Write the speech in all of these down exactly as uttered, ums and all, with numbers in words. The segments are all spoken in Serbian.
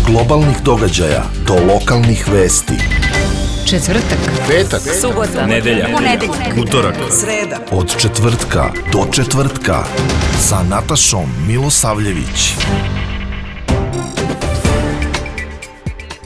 globalnih događaja do lokalnih vesti. Četvrtak, petak, subota, nedelja, ponedeljak, utorak, sreda. Od četvrtka do četvrtka sa Natašom Milosavljević.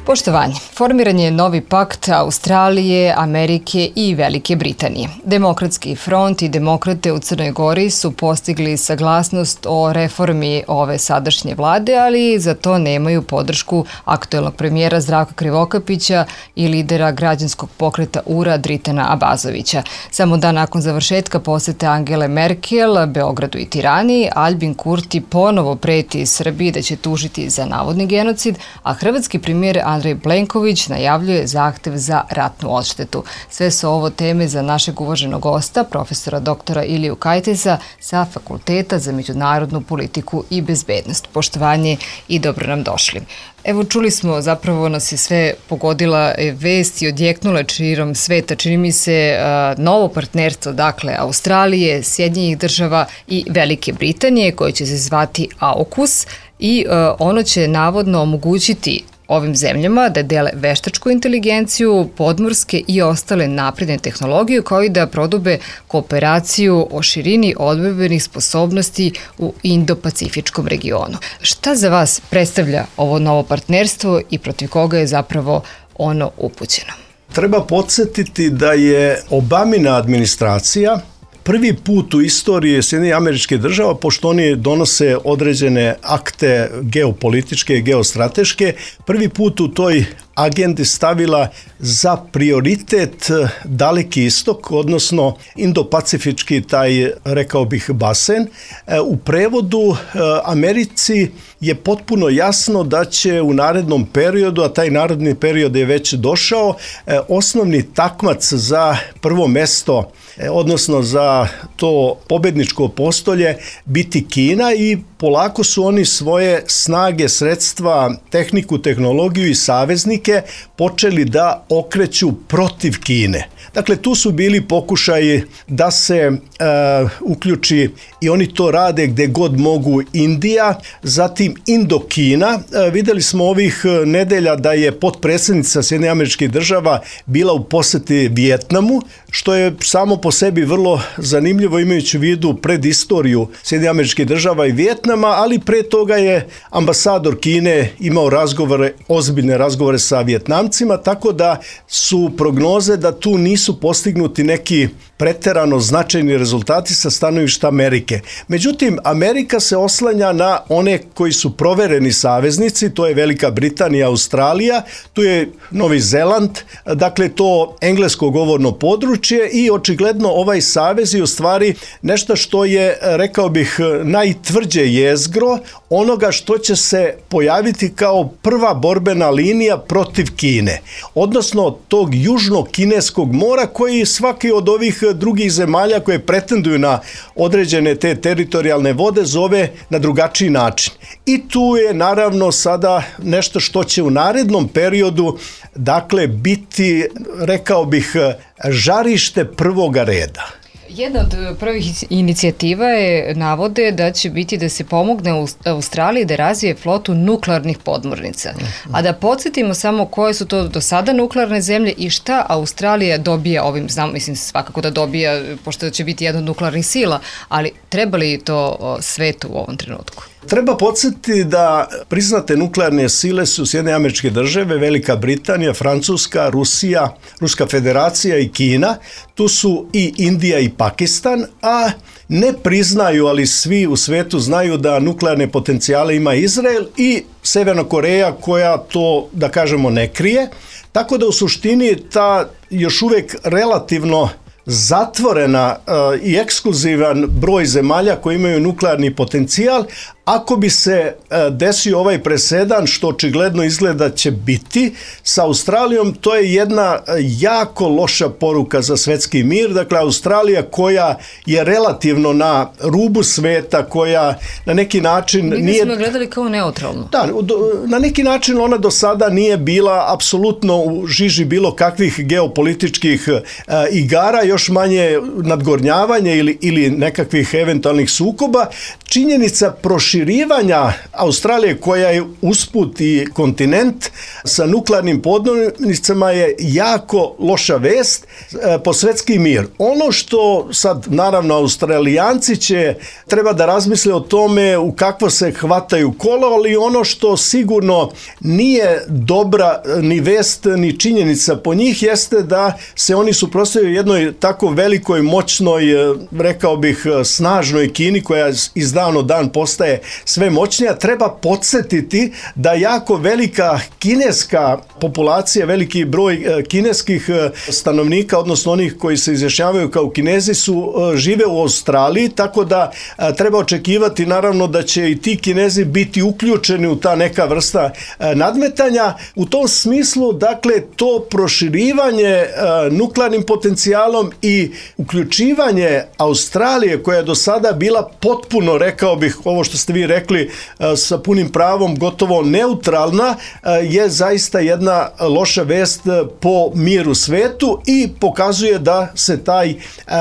Poštovanje, formiran je novi pakt Australije, Amerike i Velike Britanije. Demokratski front i demokrate u Crnoj Gori su postigli saglasnost o reformi ove sadašnje vlade, ali za to nemaju podršku aktuelnog premijera Zdravka Krivokapića i lidera građanskog pokreta U R A Dritana Abazovića. Samo dan nakon završetka posete Angele Merkel, Beogradu i Tirani, Albin Kurti ponovo preti Srbiji da će tužiti za navodni genocid, a hrvatski premijer Andrej Plenković najavljuje zahtev za ratnu odštetu. Sve su ovo teme za našeg uvaženog gosta, profesora doktora Iliju Kajtesa sa Fakulteta za međunarodnu politiku i bezbednost. Poštovanje i dobro nam došli. Evo, čuli smo, zapravo nas je sve pogodila vest i odjeknula širom sveta. Čini mi se novo partnerstvo, dakle, Australije, Sjedinjenih država i Velike Britanije, koje će se zvati AUKUS, i ono će navodno omogućiti ovim zemljama da dele veštačku inteligenciju, podmorske i ostale napredne tehnologije, kao i da prodube kooperaciju o širini odbrambenih sposobnosti u Indo-Pacifičkom regionu. Šta za vas predstavlja ovo novo partnerstvo i protiv koga je zapravo ono upućeno? Treba podsjetiti da je Obamina administracija prvi put u istoriji Sjedinjenih Američkih Država, pošto oni donose određene akte geopolitičke i geostrateške, prvi put u toj agendi stavila za prioritet Daleki istok, odnosno Indo-Pacifički taj, rekao bih, basen. U prevodu Americi je potpuno jasno da će u narednom periodu, a taj naredni period je već došao, osnovni takmac za prvo mesto, odnosno za to pobedničko postolje, biti Kina, i polako su oni svoje snage, sredstva, tehniku, tehnologiju i saveznike počeli da okreću protiv Kine. Dakle, tu su bili pokušaji da se e, uključi, i oni to rade gde god mogu, Indija, zatim Indokina. E, videli smo ovih nedelja da je potpredsjednica Sjedinjenih Američkih Država bila u poseti Vijetnamu, što je samo po sebi vrlo zanimljivo imajući u vidu predistoriju Sjedinjenih Američkih Država i Vijetnama, ali pre toga je ambasador Kine imao razgovore, ozbiljne razgovore sa Vijetnamcima, tako da su prognoze da tu nisu postignuti neki preterano značajni rezultati sa stanovišta Amerike. Međutim, Amerika se oslanja na one koji su provereni saveznici, to je Velika Britanija, Australija, tu je Novi Zeland, dakle to englesko govorno područje, i očigledno ovaj savez je u stvari nešto što je, rekao bih, najtvrđe jezgro onoga što će se pojaviti kao prva borbena linija protiv Kine, odnosno tog južnog kineskog mora, koji svaki od ovih drugih zemalja koje pretenduju na određene te teritorijalne vode zove na drugačiji način. I tu je naravno sada nešto što će u narednom periodu, dakle, biti, rekao bih, žarište prvoga reda. Jedna od prvih inicijativa je, navode, da će biti da se pomogne u Australiji da razvije flotu nuklearnih podmornica. A da podsjetimo samo koje su to do sada nuklearne zemlje i šta Australija dobija ovim, znam, mislim svakako da dobija, pošto će biti jedna od nuklearnih sila, ali treba li to svetu u ovom trenutku? Treba podsjetiti da priznate nuklearne sile su Sjedinjene Američke Države, Velika Britanija, Francuska, Rusija, Ruska Federacija i Kina. Tu su i Indija i Pakistan, a ne priznaju, ali svi u svetu znaju da nuklearne potencijale ima Izrael i Severna Koreja, koja to, da kažemo, ne krije. Tako da u suštini ta još uvek relativno zatvorena uh, i ekskluzivan broj zemalja koji imaju nuklearni potencijal, ako bi se uh, desio ovaj presedan, što očigledno izgleda će biti sa Australijom, to je jedna uh, jako loša poruka za svetski mir. Dakle, Australija, koja je relativno na rubu sveta, koja na neki način Mi nije... Mi smo gledali kao neutralno. Da, na neki način ona do sada nije bila apsolutno u žiži bilo kakvih geopolitičkih uh, igara, još manje nadgornjavanje ili, ili nekakvih eventualnih sukoba, činjenica proširivanja Australije, koja je usput i kontinent sa nuklearnim podmornicama, je jako loša vest po svetski mir. Ono što sad, naravno, Australijanci će treba da razmisle o tome u kakvo se hvataju kolo, ali ono što sigurno nije dobra ni vest ni činjenica po njih jeste da se oni suprotstavljaju jednoj tako velikoj, moćnoj, rekao bih, snažnoj Kini, koja iz dana u dan postaje sve moćnija. Treba podsjetiti da jako velika kineska populacija, veliki broj kineskih stanovnika, odnosno onih koji se izjašnjavaju kao Kinezi, su žive u Australiji, tako da treba očekivati naravno da će i ti Kinezi biti uključeni u ta neka vrsta nadmetanja. U tom smislu, dakle, to proširivanje nuklearnim potencijalom i uključivanje Australije, koja je do sada bila potpuno, rekao bih, ovo što ste vi rekli, sa punim pravom, gotovo neutralna, je zaista jedna loša vest po mir u svetu i pokazuje da se taj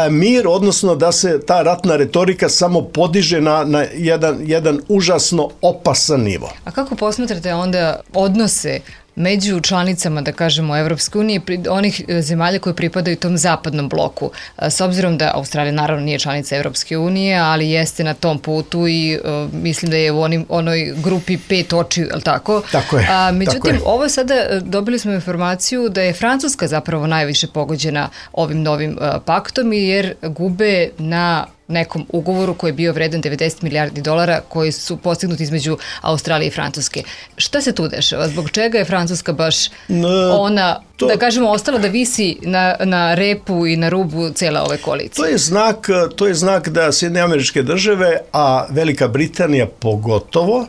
mir, odnosno da se ta ratna retorika samo podiže na, na jedan, jedan užasno opasan nivo. A kako posmatrate onda odnose među članicama, da kažemo, Evropske unije, onih zemalja koje pripadaju tom zapadnom bloku? S obzirom da Australija naravno nije članica Evropske unije, ali jeste na tom putu i uh, mislim da je u onim, onoj grupi pet očiju, ali tako? Tako je. A, međutim, tako je. ovo sada dobili smo informaciju da je Francuska zapravo najviše pogođena ovim novim uh, paktom, jer gube na nekom ugovoru koji je bio vredan devedeset milijardi dolara koji su postignuti između Australije i Francuske. Šta se tu dešava? Zbog čega je Francuska baš ona, to, da kažemo, ostala da visi na, na repu i na rubu cele ove koalicije? To je znak, to je znak da Sjedinjene Američke Države, a Velika Britanija pogotovo,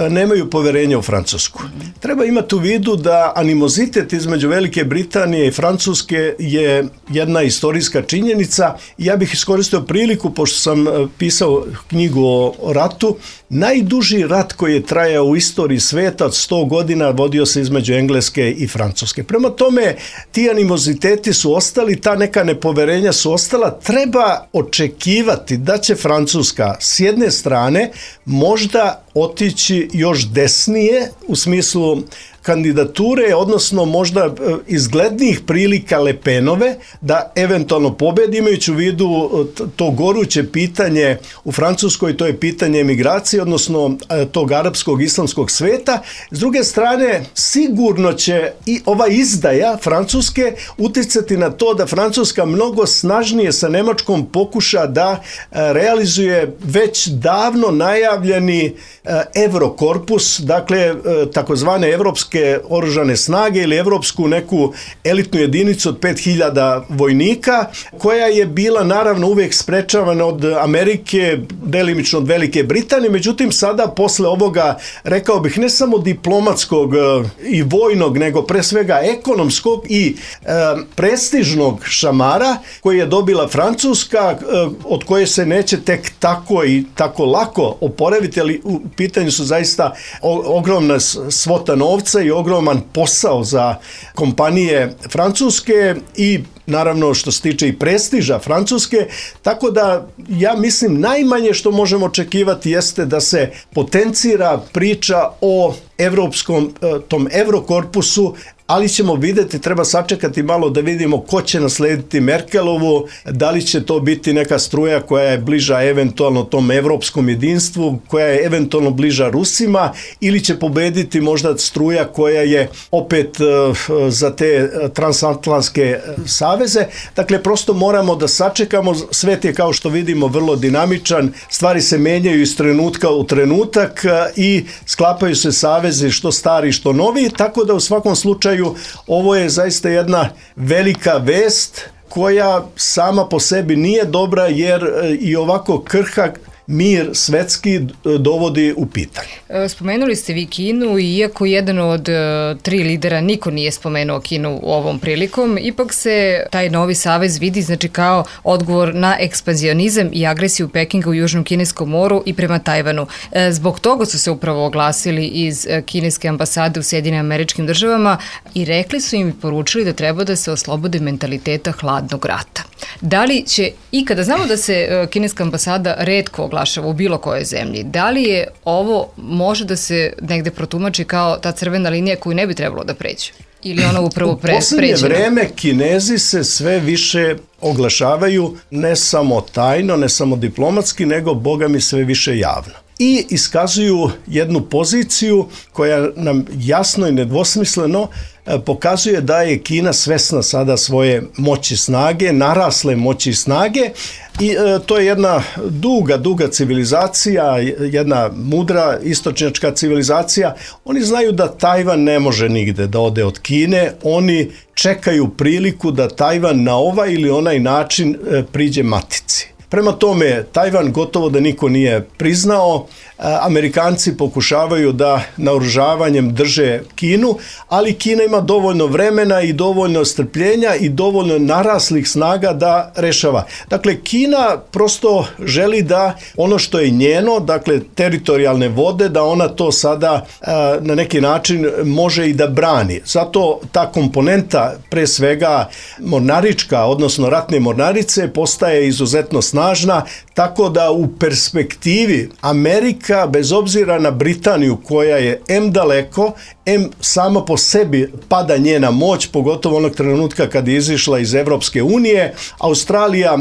nemaju poverenja u Francusku. Treba imati u vidu da animozitet između Velike Britanije i Francuske je jedna istorijska činjenica. Ja bih iskoristio priliku, pošto sam pisao knjigu o ratu, najduži rat koji je trajao u istoriji sveta od sto godina vodio se između Engleske i Francuske. Prema tome, ti animoziteti su ostali, ta neka nepoverenja su ostala. Treba očekivati da će Francuska s jedne strane možda otići još desnije u smislu kandidature, odnosno možda izglednijih prilika Le Penove da eventualno pobedi, imajući u vidu to goruće pitanje u Francuskoj, to je pitanje emigracije, odnosno tog arapskog islamskog sveta. S druge strane, sigurno će i ova izdaja Francuske uticati na to da Francuska mnogo snažnije sa Nemačkom pokuša da realizuje već davno najavljeni Eurokorpus, dakle takozvane evropske oružane snage ili evropsku neku elitnu jedinicu od pet hiljada vojnika, koja je bila naravno uvijek sprečavana od Amerike, delimično od Velike Britanije. Međutim, sada posle ovoga, rekao bih, ne samo diplomatskog i vojnog, nego pre svega ekonomskog i e, prestižnog šamara koji je dobila Francuska, e, od koje se neće tek tako i tako lako oporaviti, ali u pitanju su zaista o, ogromna svota novca i ogroman posao za kompanije francuske i naravno što se tiče i prestiža Francuske, tako da ja mislim najmanje što možemo očekivati jeste da se potencira priča o evropskom, tom Eurokorpusu, ali ćemo vidjeti, treba sačekati malo da vidimo ko će naslediti Merkelovu, da li će to biti neka struja koja je bliža eventualno tom evropskom jedinstvu, koja je eventualno bliža Rusima, ili će pobediti možda struja koja je opet za te transatlantske saveze. Dakle, prosto moramo da sačekamo, svet je, kao što vidimo, vrlo dinamičan, stvari se menjaju iz trenutka u trenutak i sklapaju se savezi što stari što novi, tako da u svakom slučaju ovo je zaista jedna velika vest koja sama po sebi nije dobra, jer i ovako krhak mir svetski dovodi u pitanje. Spomenuli ste vi Kinu i iako jedan od tri lidera niko nije spomenuo Kinu ovom prilikom, ipak se taj novi savez vidi znači kao odgovor na ekspanzionizam i agresiju Pekinga u Južnom Kineskom moru i prema Tajvanu. Zbog toga su se upravo oglasili iz kineske ambasade u Sjedinjenim Američkim Državama i rekli su im i poručili da treba da se oslobode mentaliteta hladnog rata. Da li će ikada, znamo da se kineska ambasada retko oglasi naglašava u bilo kojoj zemlji. Da li je ovo može da se negde protumači kao ta crvena linija koju ne bi trebalo da pređe? Ili ona upravo pre, pređena? U poslednje vreme Kinezi se sve više oglašavaju ne samo tajno, ne samo diplomatski, nego boga mi sve više javno. I iskazuju jednu poziciju koja nam jasno i nedvosmisleno pokazuje da je Kina svesna sada svoje moći snage, narasle moći snage i e, to je jedna duga, duga civilizacija, jedna mudra istočnjačka civilizacija. Oni znaju da Tajvan ne može nigde da ode od Kine, oni čekaju priliku da Tajvan na ovaj ili onaj način e, priđe matici. Prema tome, Tajvan gotovo da niko nije priznao, Amerikanci pokušavaju da naoružavanjem drže Kinu, ali Kina ima dovoljno vremena i dovoljno strpljenja i dovoljno naraslih snaga da rešava. Dakle, Kina prosto želi da ono što je njeno, dakle teritorijalne vode, da ona to sada na neki način može i da brani. Zato ta komponenta, pre svega mornarička, odnosno ratne mornarice, postaje izuzetno snažna, tako da u perspektivi Amerika, bez obzira na Britaniju koja je em daleko, em sama po sebi pada njena moć, pogotovo onog trenutka kad je izišla iz Evropske unije. Australija,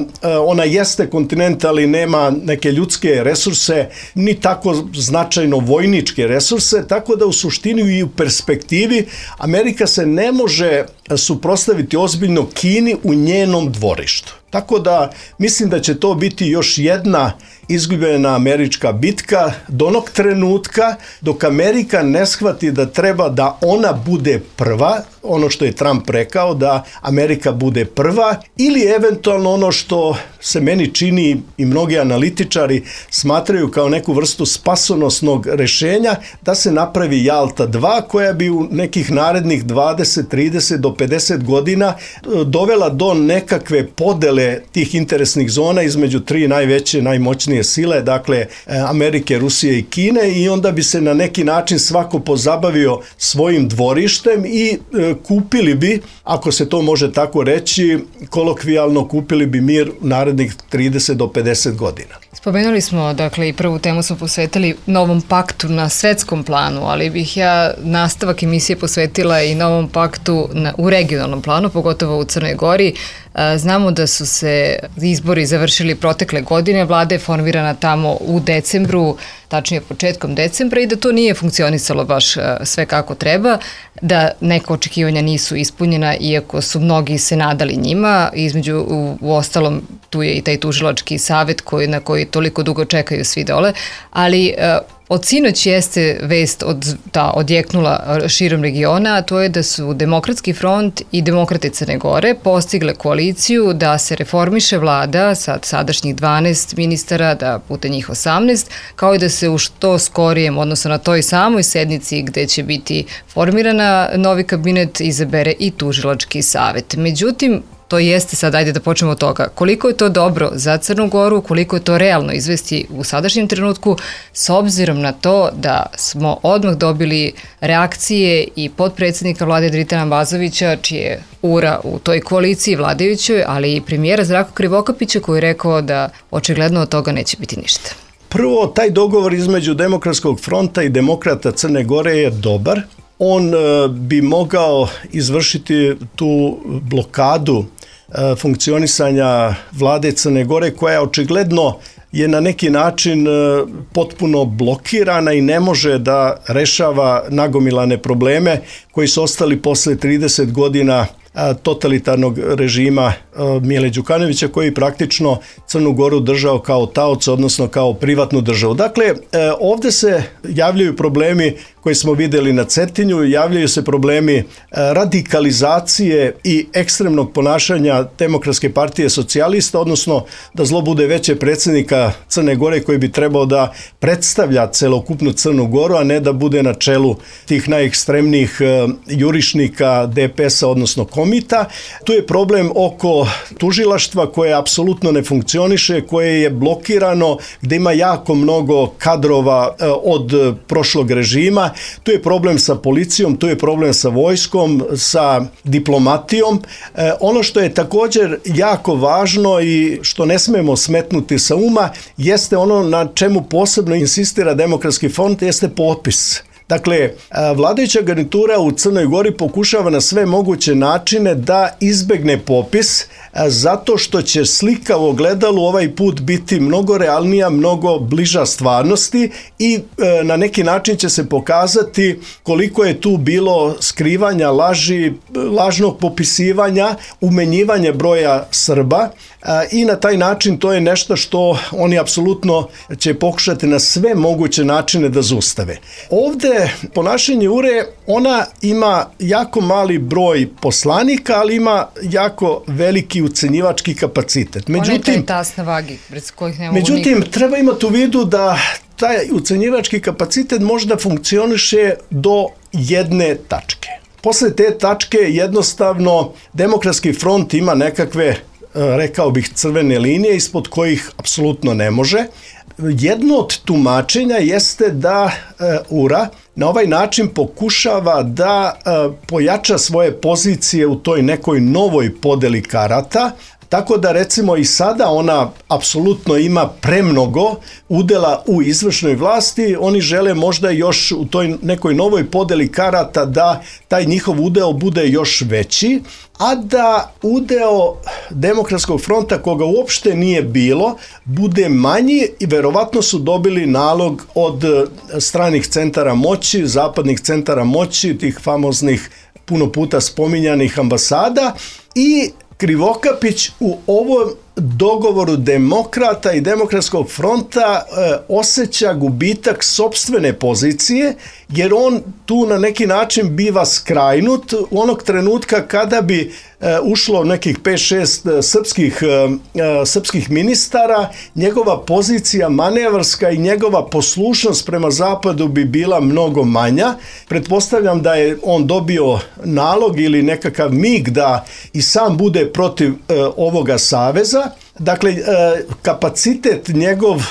ona jeste kontinent, ali nema neke ljudske resurse, ni tako značajno vojničke resurse, tako da u suštini i u perspektivi Amerika se ne može suprotstaviti ozbiljno Kini u njenom dvorištu. Tako da mislim da će to biti još jedna izgubljena američka bitka do onog trenutka dok Amerika ne shvati da treba da ona bude prva, ono što je Trump rekao, da Amerika bude prva, ili eventualno ono što se meni čini i mnogi analitičari smatraju kao neku vrstu spasonosnog rešenja, da se napravi Jalta dva koja bi u nekih narednih dvadeset, trideset do pedeset godina dovela do nekakve podele tih interesnih zona između tri najveće, najmoćnije sile, dakle Amerike, Rusije i Kine, i onda bi se na neki način svako pozabavio svojim dvorištem i kupili bi, ako se to može tako reći, kolokvijalno kupili bi mir u narednih trideset do pedeset godina. Spomenuli smo, dakle, i prvu temu smo posvetili novom paktu na svetskom planu, ali bih ja nastavak emisije posvetila i novom paktu na, u regionalnom planu, pogotovo u Crnoj Gori. Znamo da su se izbori završili protekle godine, vlada je formirana tamo u decembru, tačnije početkom decembra, i da to nije funkcionisalo baš sve kako treba, da neka očekivanja nisu ispunjena, iako su mnogi se nadali njima. Između, u, u ostalom, tu je i taj tužilački savet koji, na koji toliko dugo čekaju svi dole, ali od sinoć jeste vest od, ta, odjeknula širom regiona, a to je da su Demokratski front i Demokrate Crne Gore postigle koaliciju da se reformiše vlada sa sadašnjih dvanaest ministara, da puta njih osamnaest, kao i da se u što skorijem, odnosno na toj samoj sednici gde će biti formirana novi kabinet, izabere i tužilački savet. Međutim, to jeste sad, ajde da počnemo od toga, koliko je to dobro za Crnu Goru, koliko je to realno izvesti u sadašnjem trenutku, s obzirom na to da smo odmah dobili reakcije i potpredsjednika vlade Dritana Bazovića, čije ura u toj koaliciji vladajućoj, ali i premijera Zdravka Krivokapića koji je rekao da očigledno od toga neće biti ništa. Prvo, taj dogovor između Demokratskog fronta i Demokrata Crne Gore je dobar. On bi mogao izvršiti tu blokadu funkcionisanja vlade Crne Gore, koja očigledno je na neki način potpuno blokirana i ne može da rešava nagomilane probleme koji su ostali posle trideset godina totalitarnog režima Mile Đukanovića, koji praktično Crnu Goru držao kao taoc, odnosno kao privatnu državu. Dakle, ovde se javljaju problemi koje smo videli na Cetinju, javljaju se problemi radikalizacije i ekstremnog ponašanja Demokratske partije socijalista, odnosno da zlo bude veće predsjednika Crne Gore koji bi trebao da predstavlja celokupnu Crnu Goru, a ne da bude na čelu tih najekstremnijih jurišnika D P S-a, odnosno komita. Tu je problem oko tužilaštva koje apsolutno ne funkcioniše, koje je blokirano, gde ima jako mnogo kadrova od prošlog režima tu je problem sa policijom, tu je problem sa vojskom, sa diplomatijom. E, ono što je također jako važno i što ne smemo smetnuti sa uma, jeste ono na čemu posebno insistira Demokratski front, jeste potpis. Dakle, vladajuća garnitura u Crnoj Gori pokušava na sve moguće načine da izbegne popis, zato što će slika u ogledalu ovaj put biti mnogo realnija, mnogo bliža stvarnosti i na neki način će se pokazati koliko je tu bilo skrivanja, laži, lažnog popisivanja, umenjivanja broja Srba i na taj način to je nešto što oni apsolutno će pokušati na sve moguće načine da zaustave. Ovde ponašanje U R E, ona ima jako mali broj poslanika, ali ima jako veliki ucenjivački kapacitet. Međutim, ona je taj tas na vagi, bez kojih ne mogu međutim, nikad. Treba imati u vidu da taj ucenjivački kapacitet možda funkcioniše do jedne tačke. Posle te tačke jednostavno Demokratski front ima nekakve, rekao bih, crvene linije ispod kojih apsolutno ne može. Jedno od tumačenja jeste da U R A na ovaj način pokušava da pojača svoje pozicije u toj nekoj novoj podeli karata, tako da recimo i sada ona apsolutno ima premnogo udela u izvršnoj vlasti, oni žele možda još u toj nekoj novoj podeli karata da taj njihov udeo bude još veći, a da udeo Demokratskog fronta, koga uopšte nije bilo, bude manji i verovatno su dobili nalog od stranih centara moći, zapadnih centara moći, tih famoznih puno puta spominjanih ambasada, i Krivokapić u ovom dogovoru demokrata i Demokratskog fronta e, osjeća gubitak sopstvene pozicije, jer on tu na neki način biva skrajnut u onog trenutka kada bi e, ušlo nekih pet šest srpskih, e, srpskih ministara, njegova pozicija manevarska i njegova poslušnost prema zapadu bi bila mnogo manja. Pretpostavljam da je on dobio nalog ili nekakav mig da i sam bude protiv e, ovoga saveza. Dakle, kapacitet njegov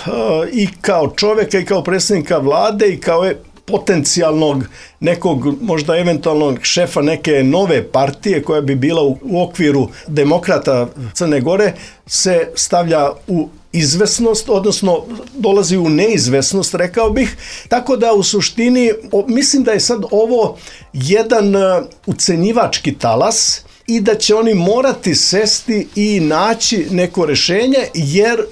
i kao čoveka i kao predsjednika vlade i kao potencijalnog nekog možda eventualnog šefa neke nove partije koja bi bila u okviru demokrata Crne Gore se stavlja u izvesnost, odnosno dolazi u neizvesnost, rekao bih. Tako da u suštini mislim da je sad ovo jedan ucenjivački talas i da će oni morati sesti i naći neko rešenje, jer e,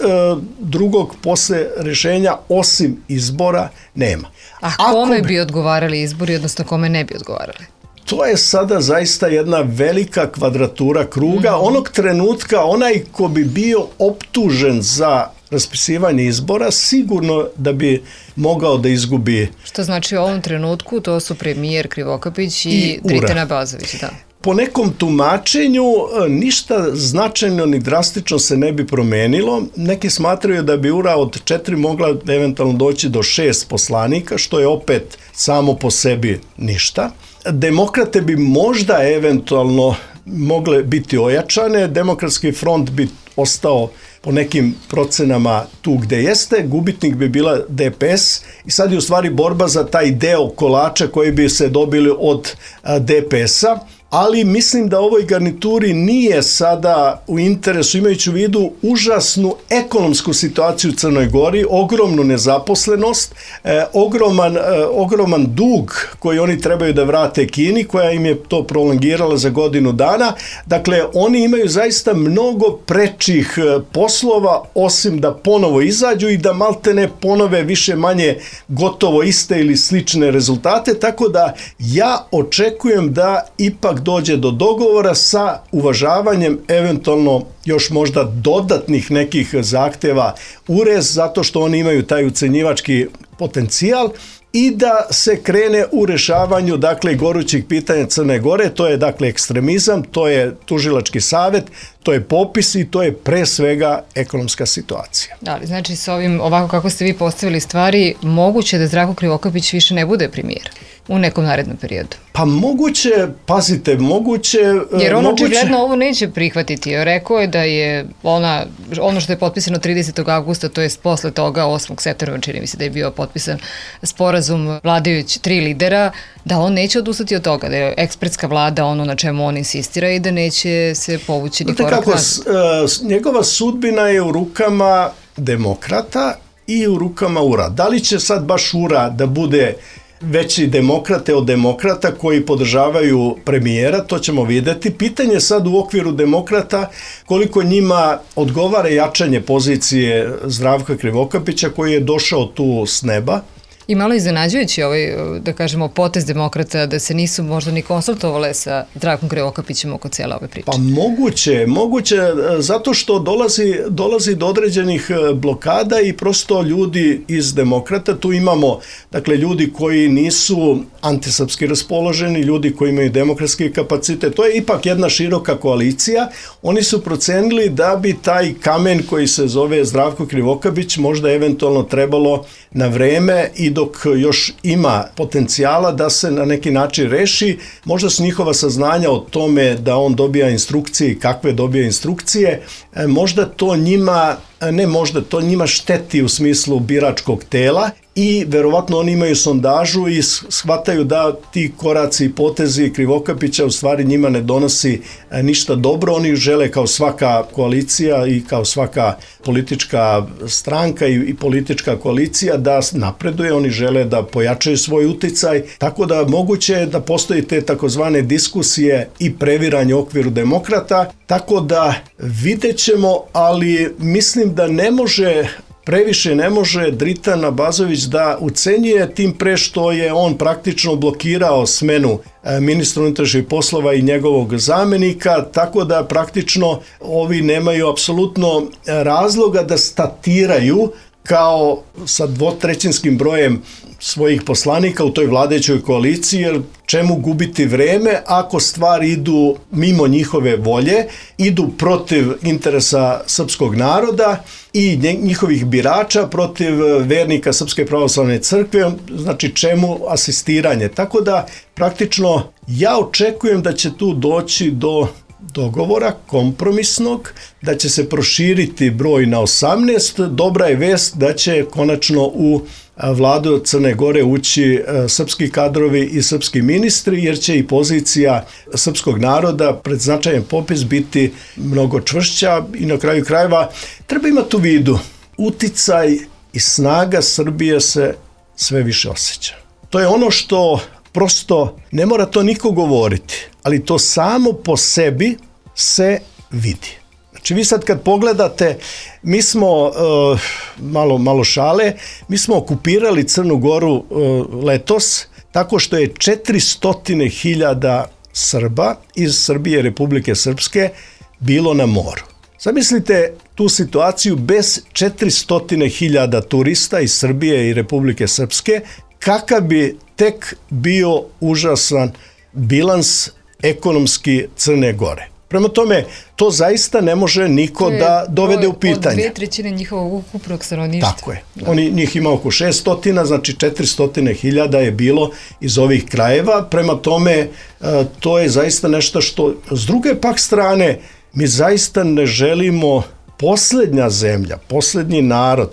drugog posle rešenja osim izbora nema. A kome bi odgovarali izbori, odnosno kome ne bi odgovarali? To je sada zaista jedna velika kvadratura kruga. Mm-hmm. Onog trenutka onaj ko bi bio optužen za raspisivanje izbora, sigurno da bi mogao da izgubi. Što znači u ovom trenutku to su premijer Krivokapić i, i Dritan Abazović, da. Po nekom tumačenju ništa značajno ni drastično se ne bi promenilo. Neki smatraju da bi U R A od četiri mogla eventualno doći do šest poslanika, što je opet samo po sebi ništa. Demokrate bi možda eventualno mogle biti ojačane, Demokratski front bi ostao po nekim procenama tu gde jeste, gubitnik bi bila D P S i sad je u stvari borba za taj deo kolača koji bi se dobili od D P S-a. Ali mislim da ovoj garnituri nije sada u interesu, imajući u vidu užasnu ekonomsku situaciju u Crnoj Gori, ogromnu nezaposlenost, eh, ogroman, eh, ogroman dug koji oni trebaju da vrate Kini, koja im je to prolongirala za godinu dana. Dakle, oni imaju zaista mnogo prečih eh, poslova, osim da ponovo izađu i da maltene ponove više manje gotovo iste ili slične rezultate, tako da ja očekujem da ipak dođe do dogovora sa uvažavanjem eventualno još možda dodatnih nekih zahteva U R E, zato što oni imaju taj ucenjivački potencijal, i da se krene u rešavanju, dakle, gorućih pitanja Crne Gore. To je, dakle, ekstremizam, to je tužilački savet, to je popis i to je pre svega ekonomska situacija. Ali znači s ovim, ovako kako ste vi postavili stvari, moguće da Zdravko Krivokapić više ne bude premijer? u nekom narednom periodu? Pa moguće, pazite, moguće... Jer on moguće... očigledno ovo neće prihvatiti. Rekao je da je ona, ono što je potpisano tridesetog avgusta, to je posle toga osmog septembra, čini mi se da je bio potpisan sporazum vladajući tri lidera, da on neće odustati od toga, da je ekspertska vlada ono na čemu on insistira i da neće se povući ni korak nazad. Njegova sudbina je u rukama demokrata i u rukama U R A. Da li će sad baš U R A da bude veći demokrate od demokrata koji podržavaju premijera, to ćemo vidjeti. Pitanje sad u okviru demokrata koliko njima odgovara jačanje pozicije Zdravka Krivokapića koji je došao tu s neba. I malo iznenađujući ovaj, da kažemo, potez demokrata da se nisu možda ni konsultovale sa Zdravkom Krivokapićem oko cijela ove priče. Pa moguće, moguće, zato što dolazi, dolazi do određenih blokada i prosto ljudi iz demokrata, tu imamo, dakle, ljudi koji nisu antisrpski raspoloženi, ljudi koji imaju demokratski kapacitet, to je ipak jedna široka koalicija, oni su procenili da bi taj kamen koji se zove Zdravko Krivokapić možda eventualno trebalo na vreme i dok još ima potencijala da se na neki način reši, možda su njihova saznanja o tome da on dobija instrukcije i kakve dobija instrukcije, možda to njima, ne možda, to njima šteti u smislu biračkog tela i verovatno oni imaju sondažu i shvataju da ti koraci i potezi Krivokapića u stvari njima ne donosi ništa dobro. Oni žele kao svaka koalicija i kao svaka politička stranka i, i politička koalicija da napreduje, oni žele da pojačaju svoj uticaj, tako da moguće je da postoji te takozvane diskusije i previranje u okviru demokrata, tako da vidjet ćemo, ali mislim da ne može previše ne može Dritan Abazović da ucenjuje, tim pre što je on praktično blokirao smenu ministra unutrašnjih poslova i njegovog zamenika, tako da praktično ovi nemaju apsolutno razloga da statiraju kao sa dvotrećinskim brojem svojih poslanika u toj vladajućoj koaliciji, jer čemu gubiti vreme ako stvari idu mimo njihove volje, idu protiv interesa srpskog naroda i njihovih birača, protiv vernika Srpske pravoslavne crkve, znači čemu asistiranje. Tako da praktično ja očekujem da će tu doći do dogovora kompromisnog, da će se proširiti broj na osamnaest. Dobra je vest da će konačno u vladu Crne Gore ući srpski kadrovi i srpski ministri, jer će i pozicija srpskog naroda pred značajan popis biti mnogo čvršća i na kraju krajeva treba imati u vidu uticaj i snaga Srbije se sve više osjeća. To je ono što prosto ne mora to niko govoriti, ali to samo po sebi se vidi. Znači vi sad kad pogledate, mi smo, uh, malo, malo šale, mi smo okupirali Crnu Goru uh, letos tako što je četiristo hiljada Srba iz Srbije, Republike Srpske bilo na moru. Zamislite tu situaciju bez četiristo hiljada turista iz Srbije i Republike Srpske, kakav bi tek bio užasan bilans ekonomski Crne Gore. Prema tome, to zaista ne može niko da dovede u pitanje. Od dvije trećine njihovog ukupnog stanovništva. Tako je. Oni, njih ima oko šesto, znači četiristo hiljada je bilo iz ovih krajeva. Prema tome, to je zaista nešto što, s druge pak strane, mi zaista ne želimo poslednja zemlja, poslednji narod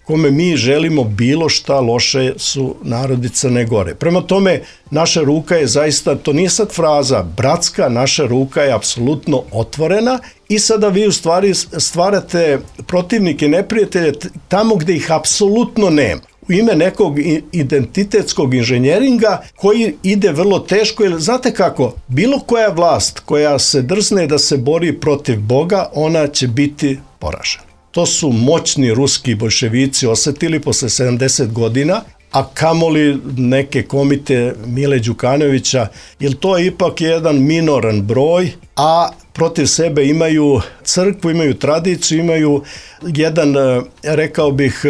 kome mi želimo bilo šta loše su narodi Crne Gore. Prema tome, naša ruka je zaista, to nije sad fraza, bratska, naša ruka je apsolutno otvorena i sada vi u stvari stvarate protivnike, neprijatelje tamo gde ih apsolutno nema. U ime nekog identitetskog inženjeringa koji ide vrlo teško, jer znate kako, bilo koja vlast koja se drzne da se bori protiv Boga, ona će biti poražena. To su moćni ruski bolševici osetili posle sedamdeset godina, a kamoli neke komite Mile Đukanovića, jer to je ipak jedan minoran broj, a protiv sebe imaju crkvu, imaju tradiciju, imaju jedan, rekao bih,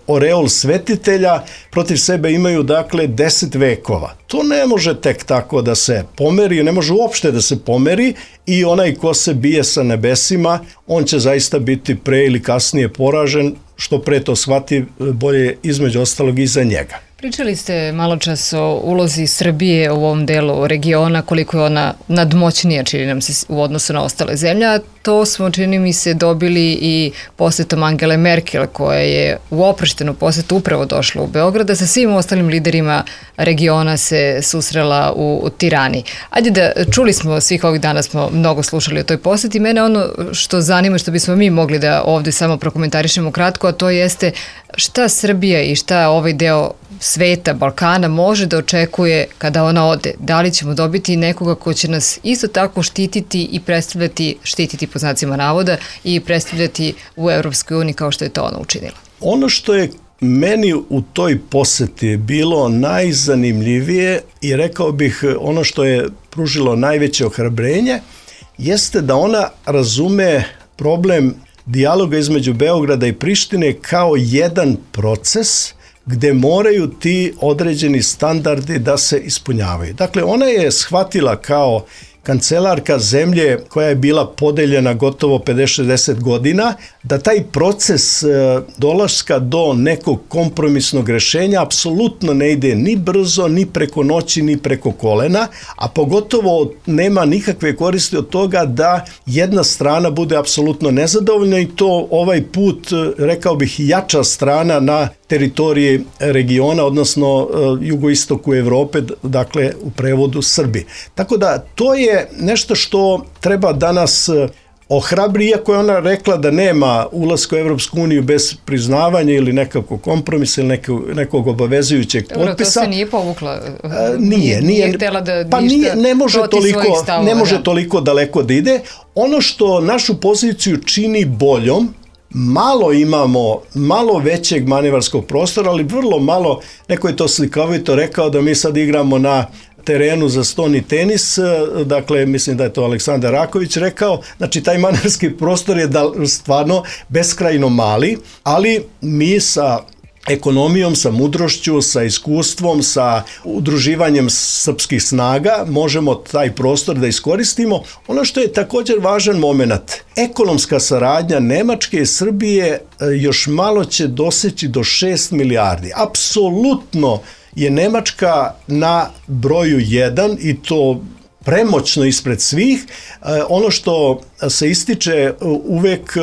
oreol svetitelja, protiv sebe imaju, dakle, deset vekova. To ne može tek tako da se pomeri, ne može uopšte da se pomeri i onaj ko se bije sa nebesima, on će zaista biti pre ili kasnije poražen, što pre to shvati, bolje između ostalog i za njega. Pričali ste malo čas o ulozi Srbije u ovom delu regiona, koliko je ona nadmoćnija, čini nam se, u odnosu na ostale zemlje. To smo, čini mi se, dobili i posjetom Angele Merkel, koja je u oproštenu posjetu upravo došla u Beograd, da sa svim ostalim liderima regiona se susrela u, u Tirani. Ajde da, čuli smo, svih ovih dana smo mnogo slušali o toj posjeti. Mene ono što zanima, što bismo mi mogli da ovdje samo prokomentarišemo kratko, a to jeste šta Srbija i šta ovaj deo sveta, Balkana može da očekuje kada ona ode. Da li ćemo dobiti nekoga ko će nas isto tako štititi i predstavljati, štititi po znacima navoda i predstavljati u Evropskoj uniji kao što je to ona učinila? Ono što je meni u toj poseti bilo najzanimljivije i rekao bih ono što je pružilo najveće ohrabrenje jeste da ona razume problem dijaloga između Beograda i Prištine kao jedan proces gde moraju ti određeni standardi da se ispunjavaju. Dakle, ona je shvatila kao kancelarka zemlje koja je bila podeljena gotovo pedeset šezdeset godina, da taj proces dolaska do nekog kompromisnog rešenja apsolutno ne ide ni brzo, ni preko noći, ni preko kolena, a pogotovo nema nikakve koristi od toga da jedna strana bude apsolutno nezadovoljna i to ovaj put, rekao bih, jača strana na teritoriji regiona, odnosno jugoistoku Evrope, dakle u prevodu Srbi. Tako da to je nešto što treba danas ohrabri, iako je ona rekla da nema ulaska u Evropsku uniju bez priznavanja ili nekakvog kompromisa ili nekog, nekog obavezujućeg potpisa. Dobro, to se nije povukla. A, nije, nije. Nije htjela da pa nije, ne može toliko, stavova, ne može da. toliko daleko da ide. Ono što našu poziciju čini boljom, malo imamo, malo većeg manevarskog prostora, ali vrlo malo, neko je to slikovito rekao da mi sad igramo na terenu za stoni tenis, dakle mislim da je to Aleksandar Raković rekao, znači taj manevarski prostor je da, stvarno beskrajno mali, ali mi sa ekonomijom, sa mudrošću, sa iskustvom, sa udruživanjem srpskih snaga možemo taj prostor da iskoristimo. Ono što je također važan moment, ekonomska saradnja Nemačke i Srbije još malo će doseći do šest milijardi. Apsolutno je Nemačka na broju jedan i to premoćno ispred svih. Ono što se ističe uvek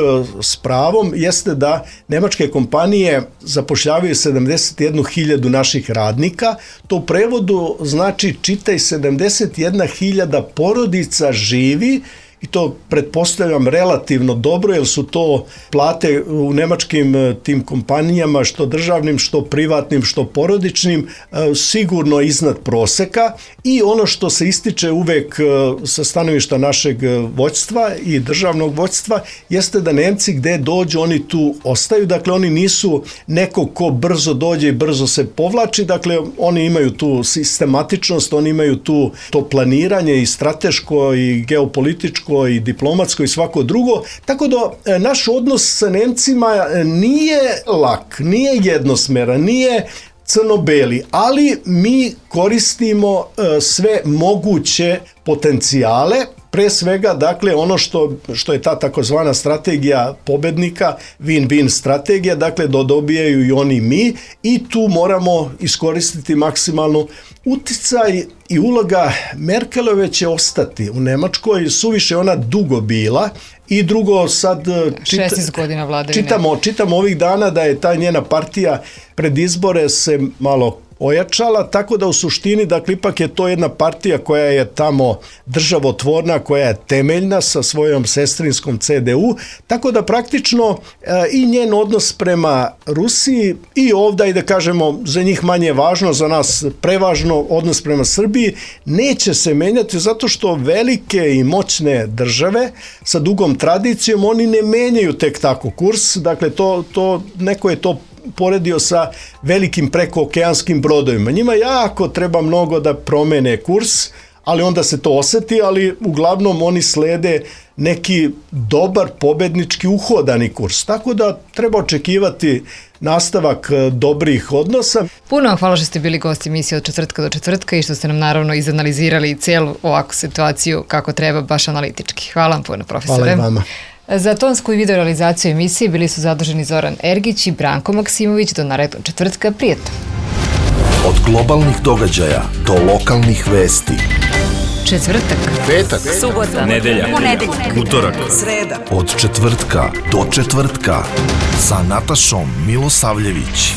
s pravom jeste da nemačke kompanije zapošljavaju sedamdeset jednu hiljadu naših radnika. To u prevodu znači čitaj sedamdeset jedna hiljada porodica živi i to pretpostavljam relativno dobro, jer su to plate u nemačkim tim kompanijama, što državnim, što privatnim, što porodičnim, sigurno iznad proseka. I ono što se ističe uvek sa stanovišta našeg vođstva i državnog vođstva jeste da Nemci gde dođu, oni tu ostaju. Dakle, oni nisu neko ko brzo dođe i brzo se povlači. Dakle, oni imaju tu sistematičnost, oni imaju tu to planiranje i strateško i geopolitičko i diplomatsko i svako drugo, tako da naš odnos sa Nemcima nije lak, nije jednosmeran, nije crno-beli, ali mi koristimo sve moguće potencijale, pre svega, dakle, ono što, što je ta takozvana strategija pobednika, win-win strategija, dakle, da dobijaju i oni mi i tu moramo iskoristiti maksimalno uticaj i uloga Merkelove će ostati u Nemačkoj, suviše ona dugo bila i drugo sad čita, šesnaest godina vladavine. Čitamo, čitamo ovih dana da je ta njena partija pred izbore se malo ojačala, tako da u suštini, dakle, ipak je to jedna partija koja je tamo državotvorna, koja je temeljna sa svojom sestrinskom C D U, tako da praktično e, i njen odnos prema Rusiji i ovdje, i da kažemo, za njih manje važno, za nas prevažno, odnos prema Srbiji, neće se menjati zato što velike i moćne države sa dugom tradicijom, oni ne menjaju tek tako kurs, dakle, to, to neko je to poredio sa velikim prekookeanskim brodovima. Njima jako treba mnogo da promene kurs, ali onda se to oseti, ali uglavnom oni slede neki dobar pobednički uhodani kurs. Tako da treba očekivati nastavak dobrih odnosa. Puno vam hvala što ste bili gosti emisije od četvrtka do četvrtka i što ste nam naravno izanalizirali cijelu ovakvu situaciju kako treba, baš analitički. Hvala vam puno, profesore. Hvala i vama. Za tonsku i video realizaciju emisije bili su zaduženi Zoran Ergić i Branko Maksimović. Do narednog četvrtka, prijetno. Od globalnih događaja do lokalnih vesti. Četvrtak, Petak, subota, nedelja, ponedeljak, utorak, sreda. Od četvrtka do četvrtka sa Natašom Milosavljević.